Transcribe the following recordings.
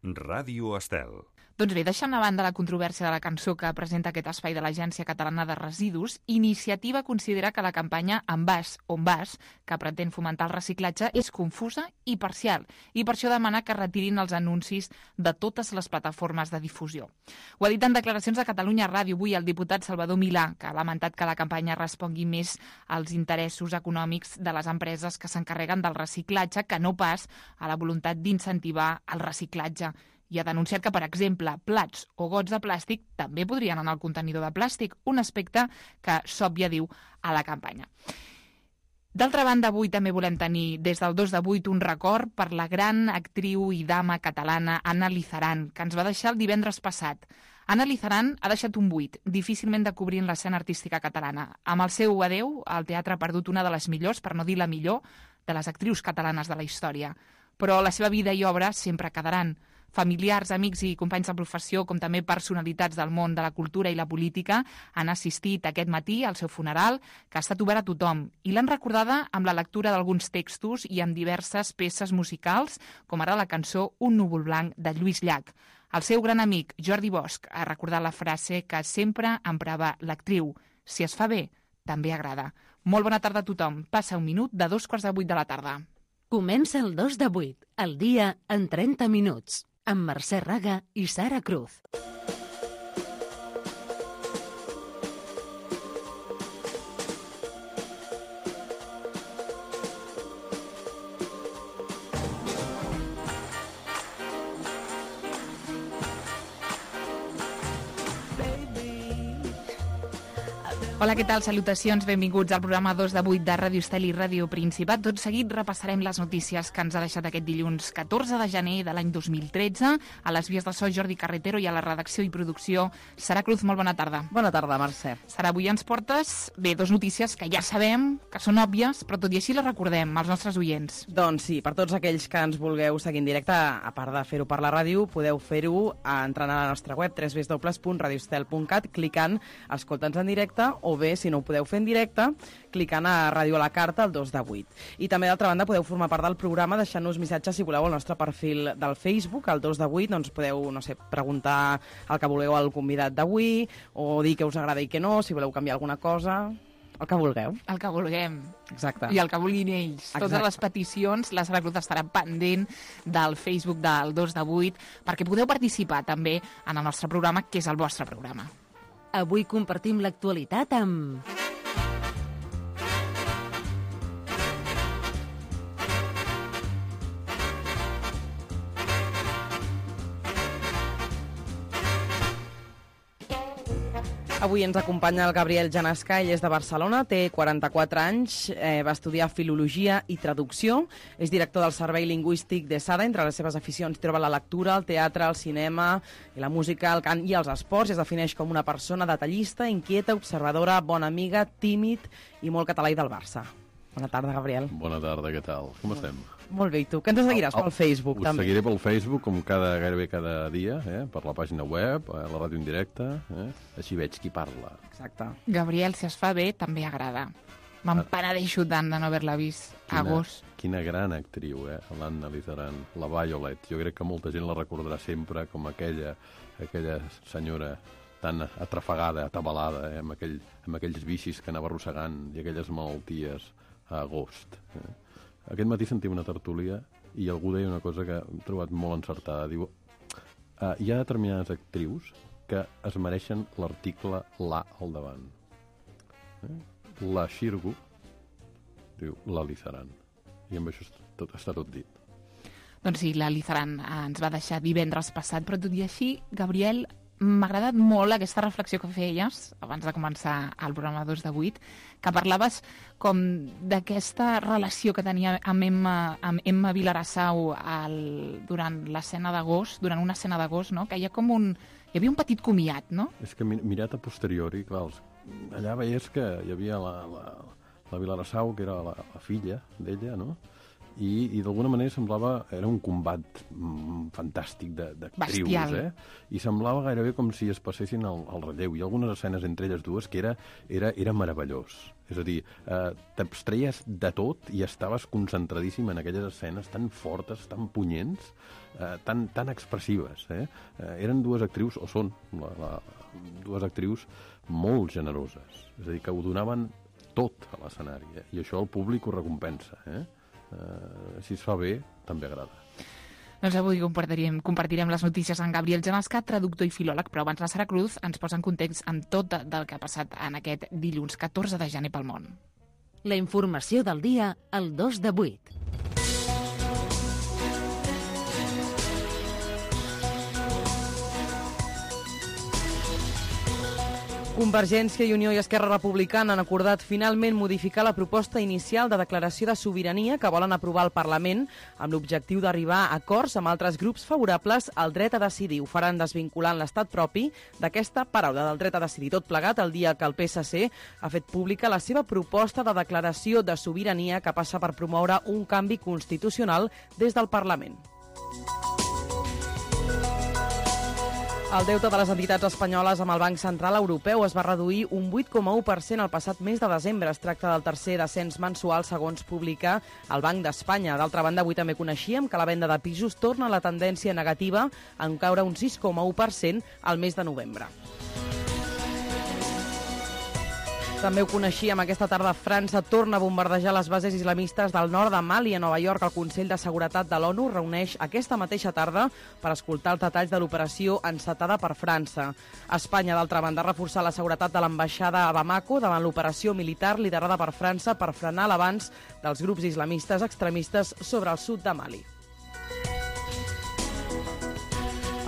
Ràdio Estel. Doncs bé, deixant a banda la controvèrsia de la cançó que presenta aquest espai de l'Agència Catalana de Residus, Iniciativa considera que la campanya En vas, on vas, que pretén fomentar el reciclatge, és confusa i parcial, i per això demana que retirin els anuncis de totes les plataformes de difusió. Ho ha dit en declaracions a Catalunya Ràdio avui el diputat Salvador Milà, que ha lamentat que la campanya respongui més als interessos econòmics de les empreses que s'encarreguen del reciclatge que no pas a la voluntat d'incentivar el reciclatge. I ha denunciat que, per exemple, plats o gots de plàstic també podrien anar al contenidor de plàstic, un aspecte que s'òbvia, diu, a la campanya. D'altra banda, avui també volem tenir, des del 2 de 8, un record per la gran actriu i dama catalana Anna Lizaran, que ens va deixar el divendres passat. Anna Lizaran ha deixat un buit, difícilment de cobrir en l'escena artística catalana. Amb el seu adeu, el teatre ha perdut una de les millors, per no dir la millor, de les actrius catalanes de la història. Però la seva vida i obra sempre quedaran. Familiars, amics i companys de professió, com també personalitats del món de la cultura i la política, han assistit aquest matí al seu funeral, que ha estat obert a tothom, i l'han recordada amb la lectura d'alguns textos i amb diverses peces musicals, com ara la cançó Un núvol blanc de Lluís Llach. El seu gran amic, Jordi Bosch, ha recordat la frase que sempre emprava l'actriu: si es fa bé, també agrada. Molt bona tarda a tothom. Passa un minut de 7:45 de la tarda. Comença el 2 de 8, el dia en 30 minuts, amb Mercè Raga i Sara Cruz. Hola, què tal? Salutacions, benvinguts al programa 2 de 8 de Ràdio Estel i Ràdio Principat. Tot seguit repassarem les notícies que ens ha deixat aquest dilluns 14 de gener de l'any 2013. A les vies de so, Jordi Carretero, i a la redacció i producció, Sara Cruz. Molt bona tarda. Bona tarda, Mercè. Sara, avui ens portes, bé, dos notícies que ja sabem, que són òbvies, però tot i així les recordem als nostres oients. Doncs sí, per tots aquells que ens vulgueu seguir en directe, a part de fer-ho per la ràdio, podeu fer-ho entrant a la nostra web www.radioestel.cat, clicant Escolta'ns en directe, o bé, si no ho podeu fer en directe, clicant a Ràdio a la Carta, el 2 de 8. I també, d'altra banda, podeu formar part del programa deixant-nos missatges, si voleu, al nostre perfil del Facebook, el 2 de 8, doncs podeu, no sé, preguntar el que vulgueu al convidat d'avui, o dir què us agrada i què no, si voleu canviar alguna cosa, el que vulgueu. El que vulguem. Exacte. I el que vulguin ells. Exacte. Totes les peticions, la Sara Cruz estarà pendent del Facebook del 2 de 8, perquè podeu participar també en el nostre programa, que és el vostre programa. Avui compartim l'actualitat amb... Avui ens acompanya el Gabriel Janasca, ell és de Barcelona, té 44 anys, va estudiar Filologia i Traducció, és director del Servei Lingüístic d'ESADA. Entre les seves aficions troba la lectura, el teatre, el cinema, la música, el cant i els esports. Es defineix com una persona detallista, inquieta, observadora, bona amiga, tímid i molt català i del Barça. Bona tarda, Gabriel. Bona tarda, què tal? Com estem? Molt bé, i tu? Que ens seguiràs pel Facebook, també? Us seguiré pel Facebook, com gairebé cada dia, per la pàgina web, la ràdio en directe, així veig qui parla. Exacte. Gabriel, si es fa bé, també agrada. Me'n penedeixo tant de no haver-la vist a agost. Quina gran actriu, l'Anna Lizaran, la Violet. Jo crec que molta gent la recordarà sempre com aquella senyora tan atrafegada, atabalada, amb aquells vicis que anava arrossegant i aquelles malalties a agost. Aquest matí sentia una tertúlia i algú deia una cosa que he trobat molt encertada. Diu, hi ha determinades actrius que es mereixen l'article La al davant. La Xirgu, diu, la Lizaran. I amb això està tot dit. Doncs sí, la Lizaran ens va deixar divendres passat, però tot i així, Gabriel, m'ha agradat molt aquesta reflexió que feies abans de començar el programa 2 de 8, que parlaves com d'aquesta relació que tenia amb Emma Vilarassau durant l'escena d'agost, durant una escena d'agost, no? Que hi havia un petit comiat, no? És que mirat a posteriori, clar, allà veies que hi havia la Vilarassau, que era la filla d'ella, no? i d'alguna manera semblava... Era un combat fantàstic d'actrius, I semblava gairebé com si es passessin al relleu. Hi ha algunes escenes entre elles dues que era meravellós. És a dir, t'abstreies de tot i estaves concentradíssim en aquelles escenes tan fortes, tan punyents, tan expressives. Eren dues actrius, o són dues actrius molt generoses. És a dir, que ho donaven tot a l'escenari, i això el públic ho recompensa. Si es fa bé, també agrada. Doncs avui compartirem les notícies amb Gabriel Gemascat, traductor i filòleg, però abans la Sara Cruz ens posa en context amb tot del que ha passat en aquest dilluns 14 de gener pel món. La informació del dia al 2 de 8. Convergència i Unió i Esquerra Republicana han acordat finalment modificar la proposta inicial de declaració de sobirania que volen aprovar al Parlament amb l'objectiu d'arribar a acords amb altres grups favorables al dret a decidir. Ho faran desvinculant l'estat propi d'aquesta paraula del dret a decidir. Tot plegat el dia que el PSC ha fet pública la seva proposta de declaració de sobirania que passa per promoure un canvi constitucional des del Parlament. El deute de les entitats espanyoles amb el Banc Central Europeu es va reduir un 8,1% el passat mes de desembre. Es tracta del tercer descens mensual, segons publica el Banc d'Espanya. D'altra banda, avui també coneixíem que la venda de pisos torna a la tendència negativa en caure un 6,1% al mes de novembre. També ho coneixíem, aquesta tarda França torna a bombardejar les bases islamistes del nord de Mali. A Nova York, el Consell de Seguretat de l'ONU reuneix aquesta mateixa tarda per escoltar els detalls de l'operació encetada per França. Espanya, d'altra banda, ha reforçat la seguretat de l'ambaixada a Bamako davant l'operació militar liderada per França per frenar l'avanç dels grups islamistes extremistes sobre el sud de Mali.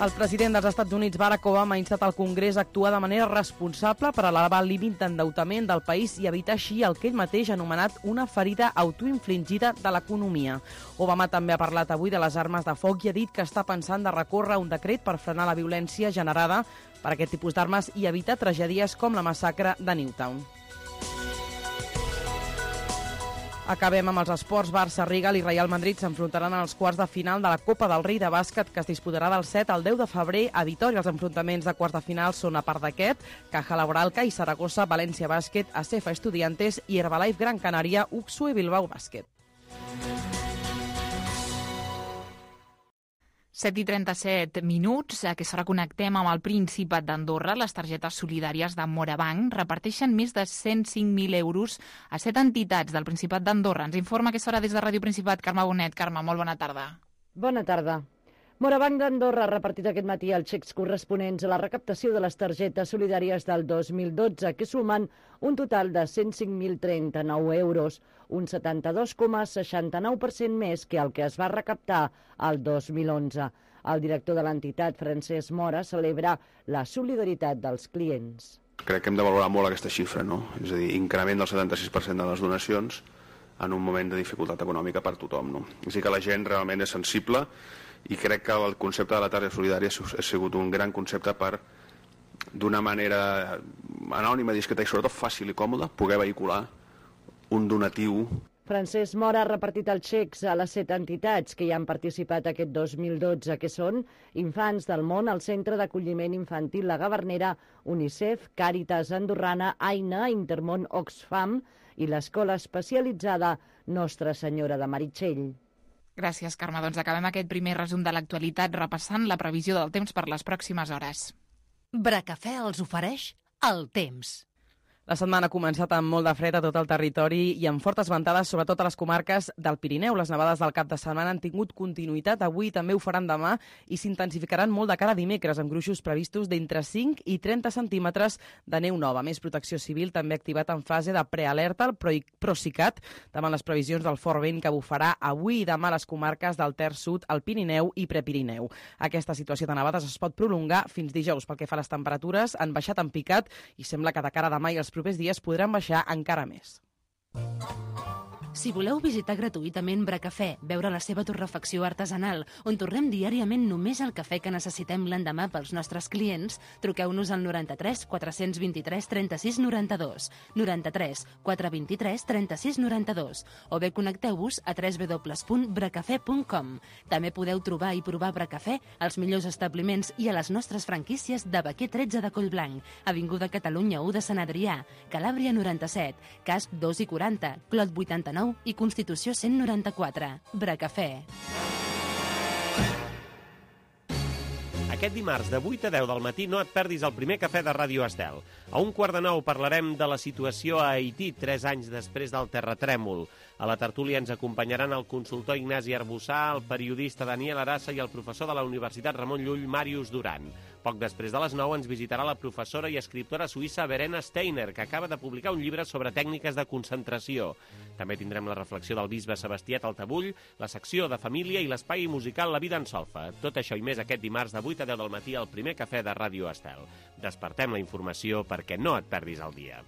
El president dels Estats Units, Barack Obama, ha instat al Congrés a actuar de manera responsable per elevar el límit d'endeutament del país i evitar així el que ell mateix ha anomenat una ferida autoinfligida de l'economia. Obama també ha parlat avui de les armes de foc i ha dit que està pensant de recórrer un decret per frenar la violència generada per aquest tipus d'armes i evitar tragèdies com la massacre de Newtown. Acabem amb els esports. Barça, Real i Real Madrid s'enfrontaran en els quarts de final de la Copa del Rei de bàsquet que es disputarà del 7 al 10 de febrer a Vitòria. Els enfrontaments de quarts de final són, a part d'aquest, Caja Laboral, CAI Saragossa, València Bàsquet, ACEFA Estudiantes i Herbalife Gran Canària, UXU i Bilbao Bàsquet. 7:37 minuts. A aquesta hora connectem amb el Principat d'Andorra. Les targetes solidàries de Morabanc reparteixen més de 105.000 euros a 7 entitats del Principat d'Andorra. Ens informa a aquesta hora des de Ràdio Principat Carme Bonet. Carme, molt bona tarda. Bona tarda. Morabanc d'Andorra ha repartit aquest matí els xecs corresponents a la recaptació de les targetes solidàries del 2012, que sumen un total de 105.039 euros, un 72,69% més que el que es va recaptar el 2011. El director de l'entitat, Francesc Mora, celebra la solidaritat dels clients. Crec que hem de valorar molt aquesta xifra, no? És a dir, increment del 76% de les donacions en un moment de dificultat econòmica per tothom, no? És a dir, que la gent realment és sensible i crec que el concepte de la targeta solidària ha sigut un gran concepte per, d'una manera anònima, discreta i sobretot fàcil i còmoda, poder vehicular un donatiu. Francesc Mora ha repartit els xecs a les 7 entitats que hi han participat aquest 2012, que són Infants del Món, el Centre d'Acolliment Infantil La Gavernera, UNICEF, Càritas Andorrana, AINA, Intermón Oxfam i l'Escola Especialitzada Nostra Senyora de Meritxell. Gràcies, Carme. Doncs acabem aquest primer resum de l'actualitat repassant la previsió del temps per les pròximes hores. Bracafè els ofereix el temps. La setmana ha començat amb molt de fred a tot el territori i amb fortes ventades, sobretot a les comarques del Pirineu. Les nevades del cap de setmana han tingut continuïtat. Avui també ho faran demà i s'intensificaran molt de cara a dimecres, amb gruixos previstos d'entre 5 i 30 centímetres de neu nova. Més Protecció Civil també ha activat en fase de prealerta el Procicat davant les previsions del fort vent que bufarà avui i demà a les comarques del Terç Sud, el Pirineu i Prepirineu. Aquesta situació de nevades es pot prolongar fins dijous. Pel que fa a les temperatures, han baixat en picat i sembla que de cara a demà i els propers dies podran baixar encara més. Si voleu visitar gratuïtament Bracafè, veure la seva torrefacció artesanal, on tornem diàriament només el cafè que necessitem l'endemà pels nostres clients, truqueu-nos al 93 423 36 92, 93 423 36 92, o bé connecteu-vos a www.bracafè.com. També podeu trobar i provar Bracafè als millors establiments i a les nostres franquícies de Baquer 13 de Collblanc, Avinguda Catalunya 1 de Sant Adrià, Calàbria 97, Casp 2 i 40, Clot 89 i Constitució 194. Bracafè. Aquest dimarts de 8 a 10 del matí no et perdis el primer cafè de Ràdio Estel. A 1:15 parlarem de la situació a Haití 3 anys després del terratrèmol. A la tertúlia ens acompanyaran el consultor Ignasi Arbussà, el periodista Daniel Arassa i el professor de la Universitat Ramon Llull, Màrius Duran. Poc després de les 9 ens visitarà la professora i escriptora suïssa Verena Steiner, que acaba de publicar un llibre sobre tècniques de concentració. També tindrem la reflexió del bisbe Sebastià Taltabull, la secció de família i l'espai musical La vida en solfa. Tot això i més aquest dimarts de 8 a 10 del matí al primer cafè de Ràdio Estel. Despertem la informació perquè no et perdis el dia.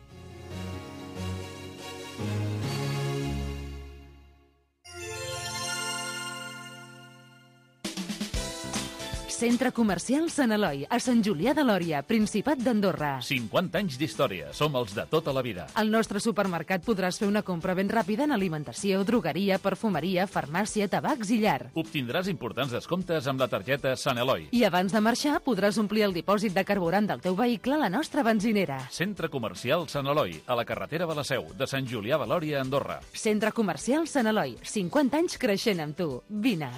Centre Comercial Sant Eloi, a Sant Julià de Lòria, Principat d'Andorra. 50 anys d'història, som els de tota la vida. Al nostre supermercat podràs fer una compra ben ràpida en alimentació, drogueria, perfumeria, farmàcia, tabacs i llar. Obtindràs importants descomptes amb la targeta Sant Eloi. I abans de marxar podràs omplir el dipòsit de carburant del teu vehicle a la nostra benzinera. Centre Comercial Sant Eloi, a la carretera de la Seu, de Sant Julià de Lòria, Andorra. Centre Comercial Sant Eloi, 50 anys creixent amb tu. Vine.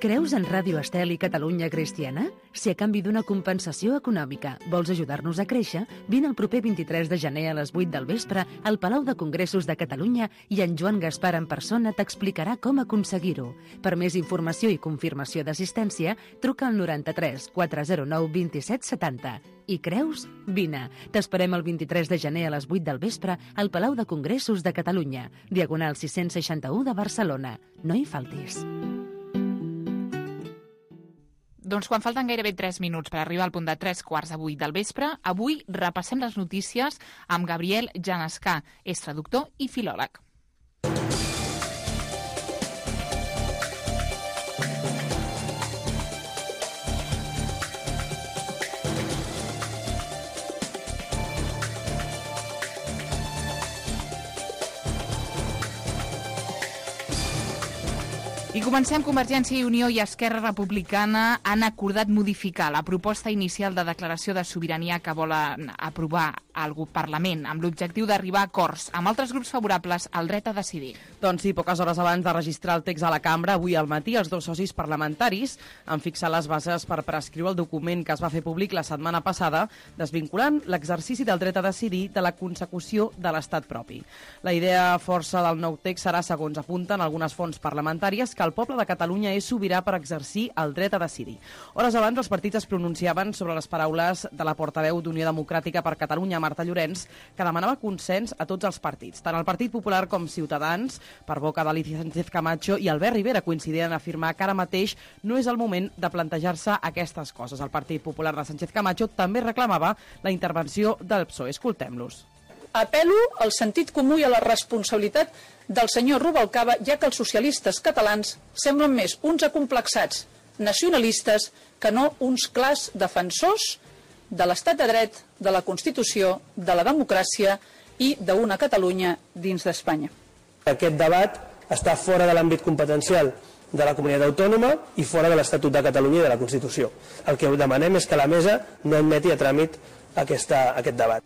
Creus en Ràdio Estel i Catalunya Cristiana? Si a canvi d'una compensació econòmica vols ajudar-nos a créixer, vine el proper 23 de gener a les 8 del vespre al Palau de Congressos de Catalunya i en Joan Gaspar en persona t'explicarà com aconseguir-ho. Per més informació i confirmació d'assistència, truca al 93 409 27 70. I creus? Vine. T'esperem el 23 de gener a les 8 del vespre al Palau de Congressos de Catalunya, Diagonal 661 de Barcelona. No hi faltis. Doncs quan falten gairebé 3 minuts per arribar al punt de 7:45 del vespre, avui repassem les notícies amb Gabriel Janescà, és traductor i filòleg. I comencem. Convergència i Unió i Esquerra Republicana han acordat modificar la proposta inicial de declaració de sobirania que volen aprovar al Parlament, amb l'objectiu d'arribar a acords amb altres grups favorables al dret a decidir. Doncs sí, poques hores abans de registrar el text a la cambra, avui al matí els dos socis parlamentaris han fixat les bases per prescriure el document que es va fer públic la setmana passada, desvinculant l'exercici del dret a decidir de la consecució de l'estat propi. La idea força del nou text serà, segons apunten algunes fonts parlamentàries, que el poble de Catalunya és sobirà per exercir el dret a decidir. Hores abans, els partits es pronunciaven sobre les paraules de la portaveu d'Unió Democràtica per Catalunya, Marta Llorens, que demanava consens a tots els partits. Tant el Partit Popular com Ciutadans, per boca d'Alicia Sánchez Camacho i Albert Rivera, coincidien en afirmar que ara mateix no és el moment de plantejar-se aquestes coses. El Partit Popular de Sánchez Camacho també reclamava la intervenció del PSOE. Escoltem-los. Apel·lo al sentit comú i a la responsabilitat del senyor Rubalcaba, ja que els socialistes catalans semblen més uns acomplexats nacionalistes que no uns clars defensors de l'estat de dret, de la Constitució, de la democràcia i d'una Catalunya dins d'Espanya. Aquest debat està fora de l'àmbit competencial de la comunitat autònoma i fora de l'Estatut de Catalunya i de la Constitució. El que demanem és que la mesa no admeti a tràmit aquest debat.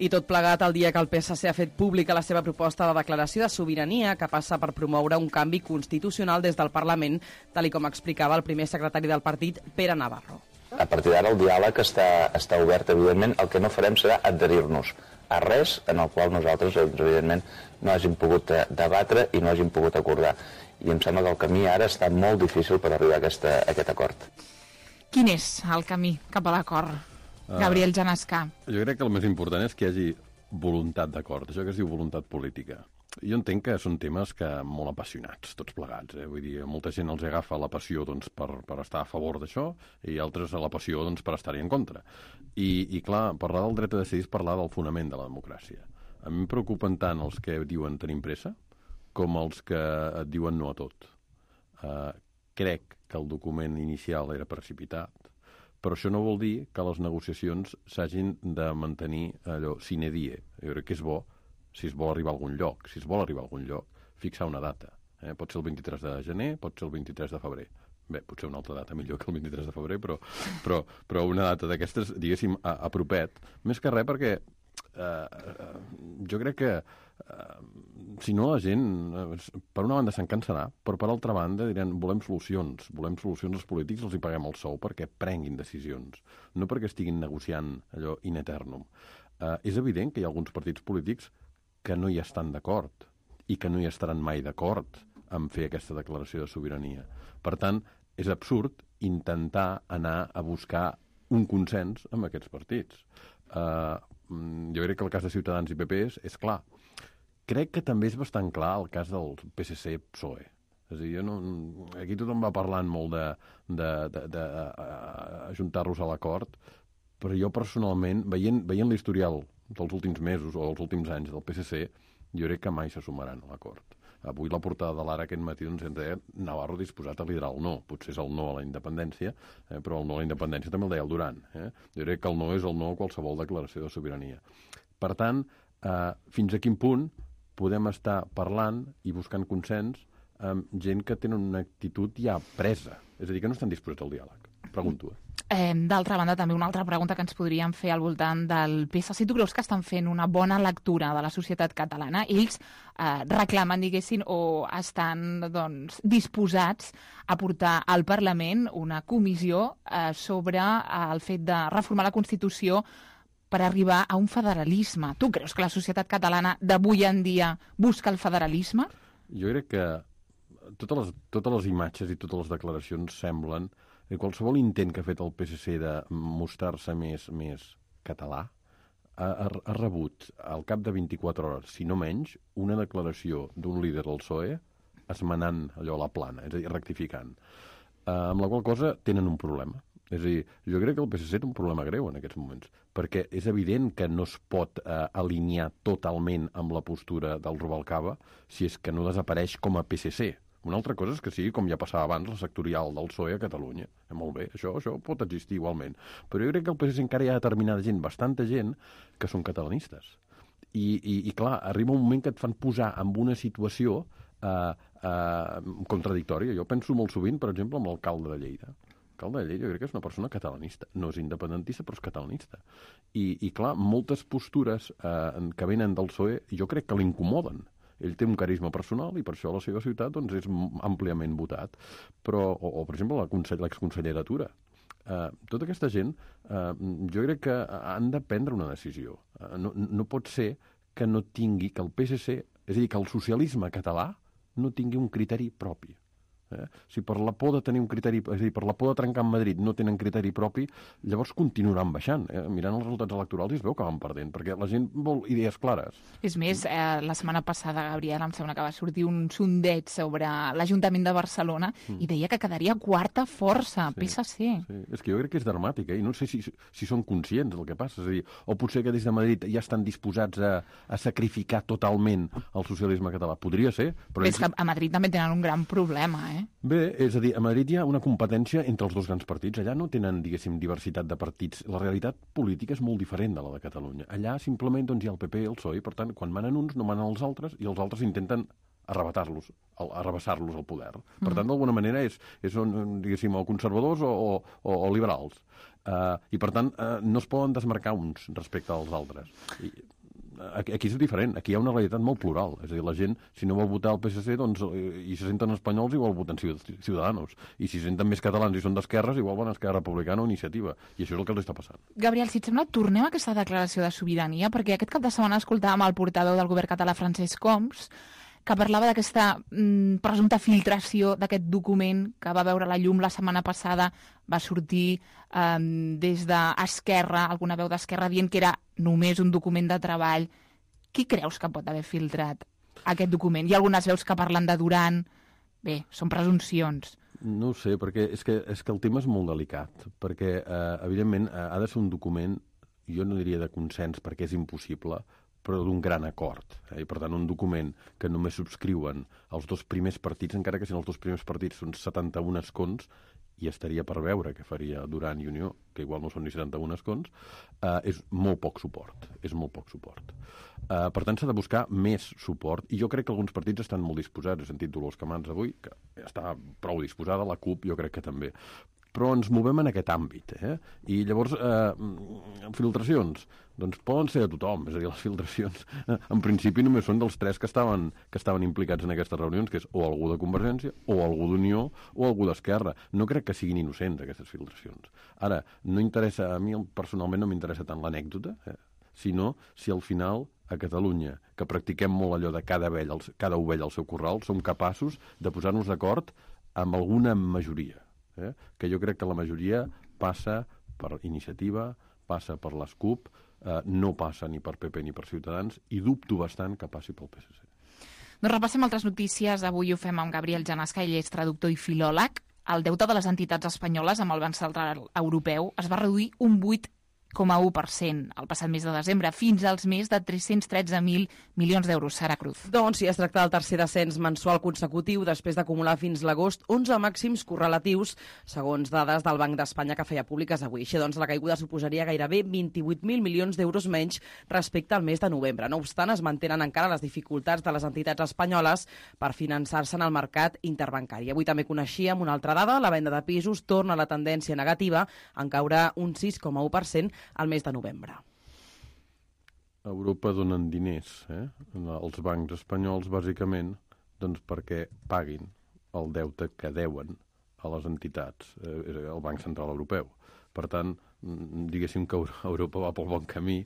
I tot plegat el dia que el PSC ha fet pública la seva proposta de declaració de sobirania que passa per promoure un canvi constitucional des del Parlament, tal com explicava el primer secretari del partit, Pere Navarro. A partir d'ara el diàleg està obert, evidentment. El que no farem serà adherir-nos a res en el qual nosaltres, evidentment, no hàgim pogut debatre i no hàgim pogut acordar. I em sembla que el camí ara està molt difícil per arribar a aquest acord. Quin és el camí cap a l'acord? Gabriel Janescà. Jo crec que el més important és que hi hagi voluntat d'acord, això que es diu voluntat política. Jo entenc que són temes molt apassionats, tots plegats. Vull dir, molta gent els agafa la passió per estar a favor d'això i altres la passió per estar-hi en contra. I clar, parlar del dret a decidir és parlar del fonament de la democràcia. A mi em preocupen tant els que diuen tenim pressa com els que et diuen no a tot. Crec que el document inicial era precipitat, però això no vol dir que les negociacions s'hagin de mantenir allò sine die. Jo crec que és bo si es vol arribar a algun lloc. Si es vol arribar a algun lloc, fixar una data. Pot ser el 23 de gener, pot ser el 23 de febrer. Bé, potser una altra data millor que el 23 de febrer, però una data d'aquestes, diguéssim, a propet. Més que res perquè jo crec que si no la gent, per una banda se'n cansarà, però per altra banda diran volem solucions als polítics, els hi paguem el sou perquè prenguin decisions, no perquè estiguin negociant allò in eternum. És evident que hi ha alguns partits polítics que no hi estan d'acord i que no hi estaran mai d'acord en fer aquesta declaració de sobirania. Per tant, és absurd intentar anar a buscar un consens amb aquests partits. Jo crec que el cas de Ciutadans i PP és clar. Crec que també és bastant clar el cas del PSC-PSOE. És a dir, aquí tothom va parlant molt d'ajuntar-los a l'acord, però jo personalment, veient l'historial dels últims mesos o dels últims anys del PSC, jo crec que mai se sumaran a l'acord. Avui la portada de l'Ara aquest matí ens deia Navarro disposat a liderar el no. Potser és el no a la independència, però el no a la independència també el deia el Duran. Jo crec que el no és el no a qualsevol declaració de sobirania. Per tant, fins a quin punt podem estar parlant i buscant consens amb gent que tenen una actitud ja presa? És a dir, que no estan disposats al diàleg. Pregunto. D'altra banda, també una altra pregunta que ens podríem fer al voltant del PSC. Tu creus que estan fent una bona lectura de la societat catalana? Ells reclamen, diguessin, o estan disposats a portar al Parlament una comissió sobre el fet de reformar la Constitució per arribar a un federalisme. Tu creus que la societat catalana d'avui en dia busca el federalisme? Jo crec que totes les imatges i totes les declaracions semblen que qualsevol intent que ha fet el PSC de mostrar-se més català ha rebut al cap de 24 hores, si no menys, una declaració d'un líder del PSOE esmenant allò a la plana, és a dir, rectificant. Amb la qual cosa tenen un problema. És a dir, jo crec que el PSC té un problema greu en aquests moments, perquè és evident que no es pot alinear totalment amb la postura del Rubalcaba si és que no desapareix com a PSC. Una altra cosa és que sigui, com ja passava abans, la sectorial del PSOE a Catalunya. Molt bé, això pot existir igualment. Però jo crec que el PSC encara hi ha determinada gent, bastanta gent, que són catalanistes. I clar, arriba un moment que et fan posar en una situació contradictòria. Jo penso molt sovint, per exemple, amb l'alcalde de Lleida. L'alcalde de Lleida jo crec que és una persona catalanista. No és independentista, però és catalanista. I clar, moltes postures que venen del PSOE jo crec que l'incomoden. Ell té un carisma personal i per això a la seva ciutat és àmpliament votat. O per exemple, l'exconsellera Tura. Tota aquesta gent, jo crec que han de prendre una decisió. No pot ser que no tingui, que el PSC, és a dir, que el socialisme català no tingui un criteri propi. Si per la por de tenir un criteri, és a dir, per la por de trencar amb Madrid no tenen criteri propi, llavors continuaran baixant. Mirant els resultats electorals es veu que van perdent, perquè la gent vol idees clares. És més, la setmana passada, Gabriel, em sembla que va sortir un sondeig sobre l'Ajuntament de Barcelona i deia que quedaria quarta força, PSC. Sí. És que jo crec que és dramàtic, i no sé si són conscients del que passa. És a dir, o potser que des de Madrid ja estan disposats a sacrificar totalment el socialisme català. Podria ser, però... És que a Madrid també tenen un gran problema, Bé, és a dir, a Madrid hi ha una competència entre els dos grans partits. Allà no tenen, diguéssim, diversitat de partits. La realitat política és molt diferent de la de Catalunya. Allà simplement hi ha el PP i el PSOE, i per tant, quan manen uns no manen els altres, i els altres intenten arrabassar-los al poder. Per tant, d'alguna manera són, diguéssim, o conservadors o liberals. I per tant, no es poden desmarcar uns respecte als altres. Aquí és diferent, aquí hi ha una realitat molt plural, és a dir, la gent, si no vol votar el PSC, doncs, i se senten espanyols, igual voten Ciudadanos, i si se senten més catalans i són d'esquerres, igual van a Esquerra Republicana o Iniciativa, i això és el que els està passant. Gabriel, si et sembla, tornem a aquesta declaració de sobirania, perquè aquest cap de setmana escoltàvem el portaveu del govern català, Francesc Homs, que parlava d'aquesta presumpta filtració d'aquest document que va veure la llum la setmana passada, va sortir des d'Esquerra, alguna veu d'Esquerra dient que era només un document de treball. Qui creus que pot haver filtrat aquest document? Hi ha algunes veus que parlen de Duran. Bé, són presumpcions. No ho sé, perquè és que el tema és molt delicat, perquè, evidentment, ha de ser un document, jo no diria de consens, perquè és impossible, però d'un gran acord. I, per tant, un document que només subscriuen els dos primers partits, encara que siguin els dos primers partits, són 71 escons, i estaria per veure què faria Duran i Unió, que igual no són ni 71 escons, és molt poc suport. És molt poc suport. Per tant, s'ha de buscar més suport, i jo crec que alguns partits estan molt disposats. He sentit Dolors Camats avui, que està prou disposada, la CUP jo crec que també. Però ens movem en aquest àmbit, I llavors, filtracions, doncs poden ser de tothom, és a dir, les filtracions en principi només són dels tres que estaven implicats en aquestes reunions, que és o algú de Convergència, o algú d'Unió, o algú d'Esquerra. No crec que siguin innocents, aquestes filtracions. Ara, no interessa, a mi personalment no m'interessa tant l'anècdota, sinó si al final a Catalunya, que practiquem molt allò de cada ovella al seu corral, som capaços de posar-nos d'acord amb alguna majoria. Que jo crec que la majoria passa per Iniciativa, passa per les CUP, no passa ni per PP ni per Ciutadans, i dubto bastant que passi pel PSC. Doncs repassem altres notícies. Avui ho fem amb Gabriel Janasca, ell és traductor i filòleg. El deute de les entitats espanyoles amb el Banc Central Europeu es va reduir un 8,1% el passat mes de desembre, fins als més de 313.000 milions d'euros. Sara Cruz. Doncs sí, es tracta del tercer descens mensual consecutiu després d'acumular fins l'agost 11 màxims correlatius, segons dades del Banc d'Espanya que feia públiques avui. Així doncs, la caiguda suposaria gairebé 28.000 milions d'euros menys respecte al mes de novembre. No obstant, es mantenen encara les dificultats de les entitats espanyoles per finançar-se en el mercat interbancari. Avui també coneixíem una altra dada, la venda de pisos torna a la tendència negativa, en caurà un 6,1% al mes de novembre. A Europa donen diners, als bancs espanyols, bàsicament, doncs perquè paguin el deute que deuen a les entitats, el Banc Central Europeu. Per tant, diguéssim que Europa va pel bon camí.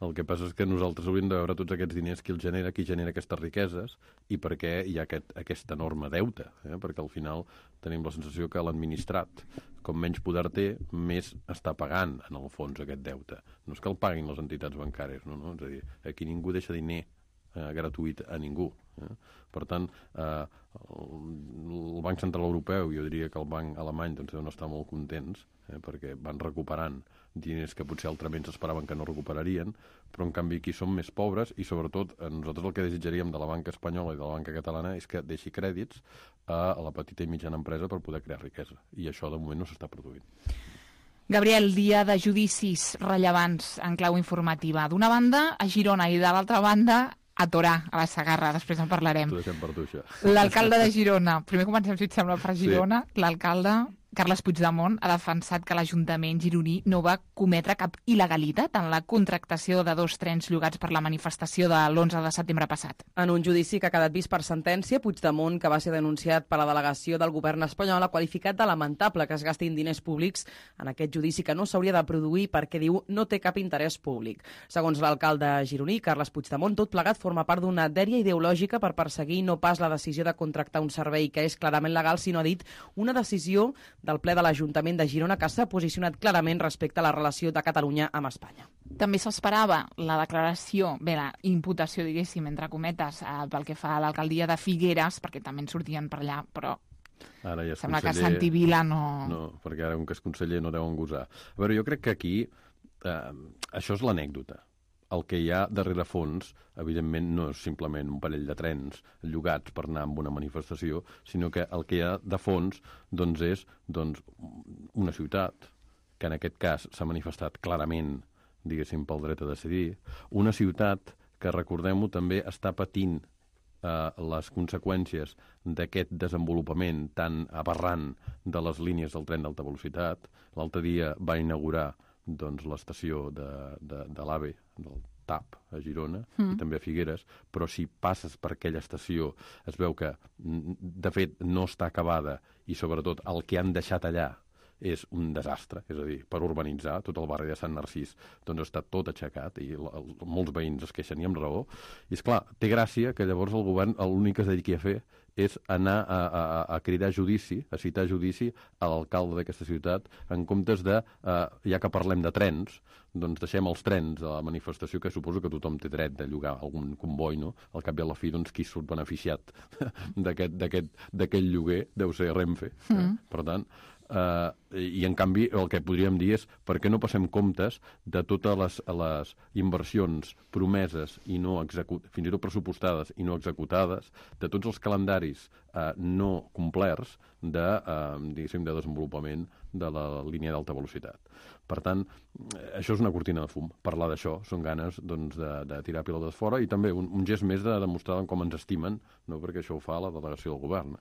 El que passa és que nosaltres hauríem de veure tots aquests diners qui genera aquestes riqueses i per què hi ha aquesta enorme deute, perquè al final tenim la sensació que l'administrat, com menys poder té, més està pagant en el fons aquest deute. No és que el paguin les entitats bancàries, no? És a dir, aquí ningú deixa diner gratuït a ningú. Per tant, el Banc Central Europeu, jo diria que el banc alemany deuen estar molt contents, perquè van recuperant diners que potser altrament s'esperaven que no recuperarien, però en canvi aquí som més pobres i sobretot nosaltres el que desitjaríem de la banca espanyola i de la banca catalana és que deixi crèdits a la petita i mitjana empresa per poder crear riquesa, i això de moment no s'està produint. Gabriel, dia de judicis rellevants en clau informativa. D'una banda, a Girona, i de l'altra banda, a Torà, a la Segarra. Després en parlarem. T'ho deixem per tu, això. L'alcalde de Girona. Primer comencem, si et sembla, per Girona. Sí. L'alcalde Carles Puigdemont ha defensat que l'Ajuntament gironí no va cometre cap il·legalitat en la contractació de 2 trens llogats per la manifestació de l'11 de setembre passat. En un judici que ha quedat vist per sentència, Puigdemont, que va ser denunciat per la delegació del govern espanyol, ha qualificat de lamentable que es gastin diners públics en aquest judici que no s'hauria de produir perquè, diu, no té cap interès públic. Segons l'alcalde gironí, Carles Puigdemont, tot plegat forma part d'una dèria ideològica per perseguir no pas la decisió de contractar un servei que és clarament legal, sinó, ha dit, una decisió del ple de l'Ajuntament de Girona que s'ha posicionat clarament respecte a la relació de Catalunya amb Espanya. També s'esperava la declaració, la imputació, diguéssim, entre cometes, pel que fa a l'alcaldia de Figueres, perquè també en sortien per allà, però ara ja sembla que Santi Vila no... No, perquè ara un que és conseller no deuen gosar. A veure, jo crec que aquí això és l'anècdota. El que hi ha darrere fons, evidentment, no és simplement un parell de trens llogats per anar amb una manifestació, sinó que el que hi ha de fons és una ciutat, que en aquest cas s'ha manifestat clarament, diguéssim, pel dret a decidir, una ciutat que, recordem-ho, també està patint les conseqüències d'aquest desenvolupament tan aberrant de les línies del tren d'alta velocitat. L'altre dia va inaugurar l'estació de l'AVE, del TAP, a Girona, i també a Figueres, però si passes per aquella estació es veu que, de fet, no està acabada i, sobretot, el que han deixat allà és un desastre, és a dir, per urbanitzar, tot el barri de Sant Narcís està tot aixecat i molts veïns es queixen i amb raó. I, esclar, té gràcia que llavors el govern l'únic que es dediqui a fer és anar a cridar judici, a citar judici a l'alcalde d'aquesta ciutat, en comptes de, ja que parlem de trens, doncs deixem els trens a la manifestació, que suposo que tothom té dret de llogar algun comboi, no? Al cap i a la fi, doncs, qui surt beneficiat d'aquest lloguer deu ser Renfe. Per tant, i en canvi el que podríem dir és per què no passem comptes de totes les inversions promeses i no fins i tot pressupostades i no executades, de tots els calendaris no complerts de desenvolupament de la línia d'alta velocitat. Per tant, això és una cortina de fum. Parlar d'això són ganes de tirar pilotes fora i també un gest més de demostrar com ens estimen, no perquè això ho fa la delegació del govern.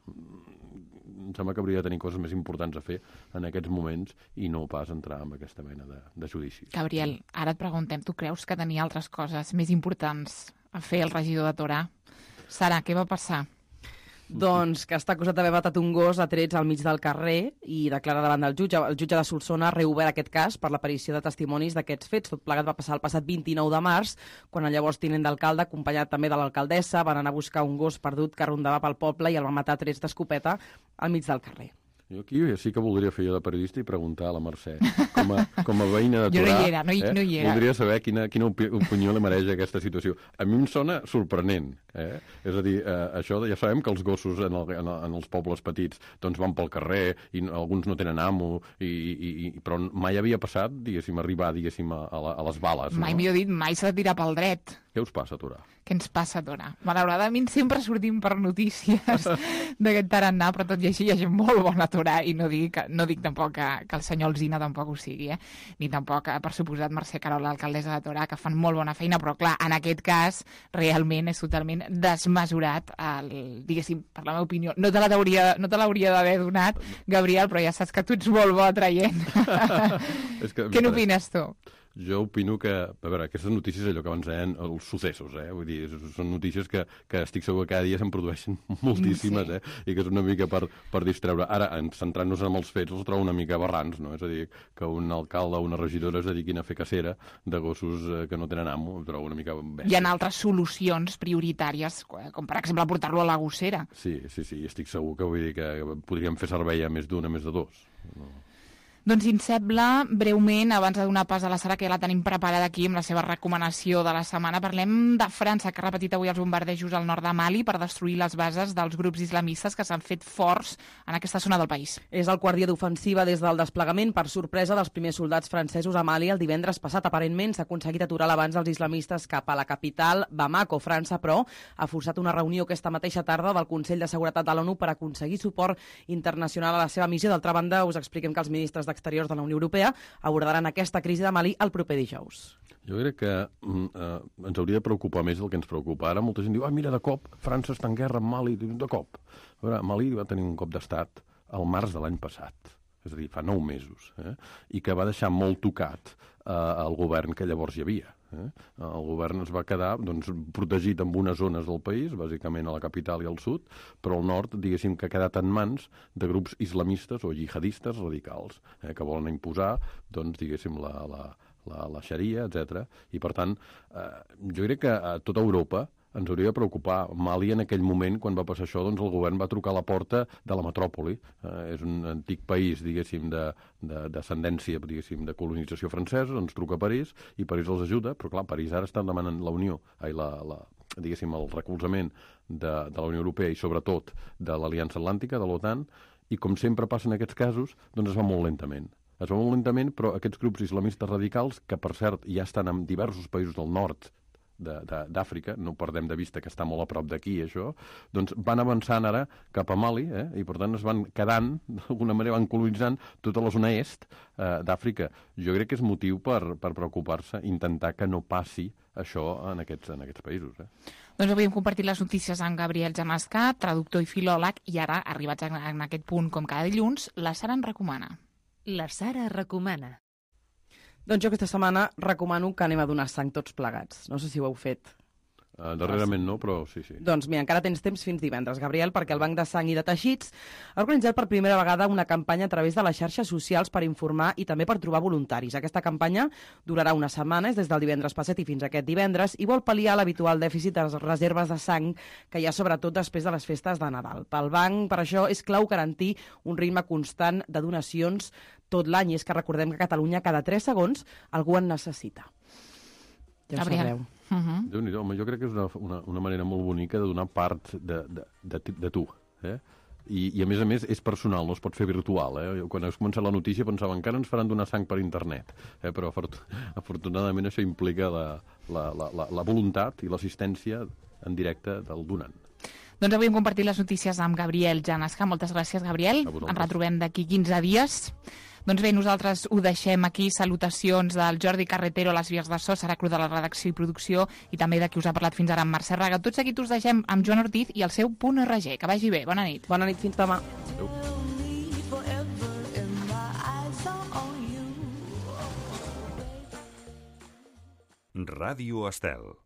Em sembla que hauria de tenir coses més importants a fer en aquests moments i no pas entrar en aquesta mena de judicis. Gabriel, ara et preguntem, tu creus que tenia altres coses més importants a fer el regidor de Torà? Sara, què va passar? Doncs que està acusat d'haver matat un gos a trets al mig del carrer i declara davant del jutge. El jutge de Solsona ha reobert aquest cas per l'aparició de testimonis d'aquests fets. Tot plegat va passar el passat 29 de març, quan el llavors tinent d'alcalde, acompanyat també de l'alcaldessa, van anar a buscar un gos perdut que rondava pel poble i el van matar a trets d'escopeta al mig del carrer. Jo aquí sí que voldria fer jo de periodista i preguntar a la Mercè, com a veïna de Torà, jo no hi era, no hi era. Voldria saber quina opinió li mereix aquesta situació. A mi em sona sorprenent, És a dir, això ja sabem que els gossos en els pobles petits doncs van pel carrer i alguns no tenen amo, però mai havia passat, diguéssim, arribar, diguéssim, a les bales. Mai millor dit, mai s'ha de tirar pel dret. Què us passa a Torà? Què ens passa a Torà? Malauradament sempre sortim per notícies d'aquest tarannà, però tot i així hi ha gent molt bona a Torà i no dic tampoc que el senyor Alsina tampoc ho sigui, ni tampoc, per suposat, Mercè Querol, l'alcaldessa de Torà, que fan molt bona feina, però clar, en aquest cas realment és totalment desmesurat, diguéssim, per la meva opinió. No te l'hauria d'haver donat, Gabriel, però ja saps que tu ets molt bo traient. Què n'opines tu? Jo opino que, a veure, aquestes notícies, allò que abans deien, els successos, vull dir, són notícies que estic segur que cada dia se'n produeixen moltíssimes, i que és una mica per distreure. Ara, centrant-nos en els fets, els trobo una mica aberrants, no? És a dir, que un alcalde o una regidora es dediquin a fer cacera de gossos que no tenen amo, ho trobo una mica bèstia. Hi ha altres solucions prioritàries, com per exemple portar-lo a la gossera. Sí, estic segur que vull dir que podríem fer servei a més d'un, a més de dos. No. Doncs si ens sembla, breument, abans de donar pas a la Sara, que ja la tenim preparada aquí amb la seva recomanació de la setmana, parlem de França, que ha repetit avui els bombardejos al nord de Mali per destruir les bases dels grups islamistes que s'han fet forts en aquesta zona del país. És el quart dia d'ofensiva des del desplegament per sorpresa dels primers soldats francesos a Mali el divendres passat. Aparentment s'ha aconseguit aturar l'avanç dels islamistes cap a la capital, Bamako. França, però, ha forçat una reunió aquesta mateixa tarda del Consell de Seguretat de l'ONU per aconseguir suport internacional a la seva missió. D'altra banda, us expliquem que els ministres d'Exteriors de la Unió Europea abordaran aquesta crisi de Mali el proper dijous. Jo crec que ens hauria de preocupar més del que ens preocupa. Ara molta gent diu, mira, de cop, França està en guerra amb Mali, de cop. A veure, Mali va tenir un cop d'estat al març de l'any passat, és a dir, fa 9 mesos, i que va deixar molt tocat el govern que llavors hi havia. El govern es va quedar protegit en unes zones del país, bàsicament a la capital i al sud, però al nord, diguéssim, que ha quedat en mans de grups islamistes o jihadistes radicals, que volen imposar, diguéssim, la xaria, etc. I, per tant, jo crec que a tota Europa ens hauria de preocupar. Mali, en aquell moment, quan va passar això, el govern va trucar a la porta de la metròpoli. És un antic país, diguéssim, d'ascendència, diguéssim, de colonització francesa, ens truca a París, i París els ajuda, però clar, París ara està demanant la Unió, diguéssim, el recolzament de la Unió Europea i, sobretot, de l'Aliança Atlàntica, de l'OTAN, i com sempre passa en aquests casos, es va molt lentament. Es va molt lentament, però aquests grups islamistes radicals, que per cert ja estan en diversos països del nord d'Àfrica, no perdem de vista que està molt a prop d'aquí, això, doncs van avançant ara cap a Mali, i per tant es van quedant, d'alguna manera van colonitzant tota la zona est d'Àfrica. Jo crec que és motiu per preocupar-se, intentar que no passi això en aquests països. Doncs avui hem compartit les notícies amb Gabriel Jamasca, traductor i filòleg, i ara, arribats en aquest punt com cada dilluns, la Sara en recomana. La Sara recomana. Doncs jo aquesta setmana recomano que anem a donar sang tots plegats. No sé si ho heu fet. Darrerament no, però sí. Doncs mira, encara tens temps fins divendres, Gabriel, perquè el Banc de Sang i de Teixits ha organitzat per primera vegada una campanya a través de les xarxes socials per informar i també per trobar voluntaris. Aquesta campanya durarà unes setmanes, des del divendres passat i fins aquest divendres, i vol pal·liar l'habitual dèficit de les reserves de sang que hi ha sobretot després de les festes de Nadal. Pel banc, per això, és clau garantir un ritme constant de donacions tot l'any, i és que recordem que a Catalunya cada 3 segons algú en necessita. Ja ho sabreu. Déu-n'hi-do, home, jo crec que és una manera molt bonica de donar part de tu, I a més és personal, no es pot fer virtual. Quan has començat la notícia pensava encara ens faran donar sang per internet, però afortunadament això implica la voluntat i l'assistència en directe del donant. Doncs avui hem compartit les notícies amb Gabriel Janesca. Moltes gràcies, Gabriel. Ens retrobem d'aquí 15 dies. Doncs bé, nosaltres ho deixem aquí. Salutacions del Jordi Carretero a les vies de so, Sara Cruz de la redacció i producció, i també de qui us ha parlat fins ara, amb Mercè Raga. Tots aquí us deixem amb Joan Ortiz i el seu .rg. Que vagi bé. Bona nit. Bona nit, fins demà. Adéu. Ràdio Estel.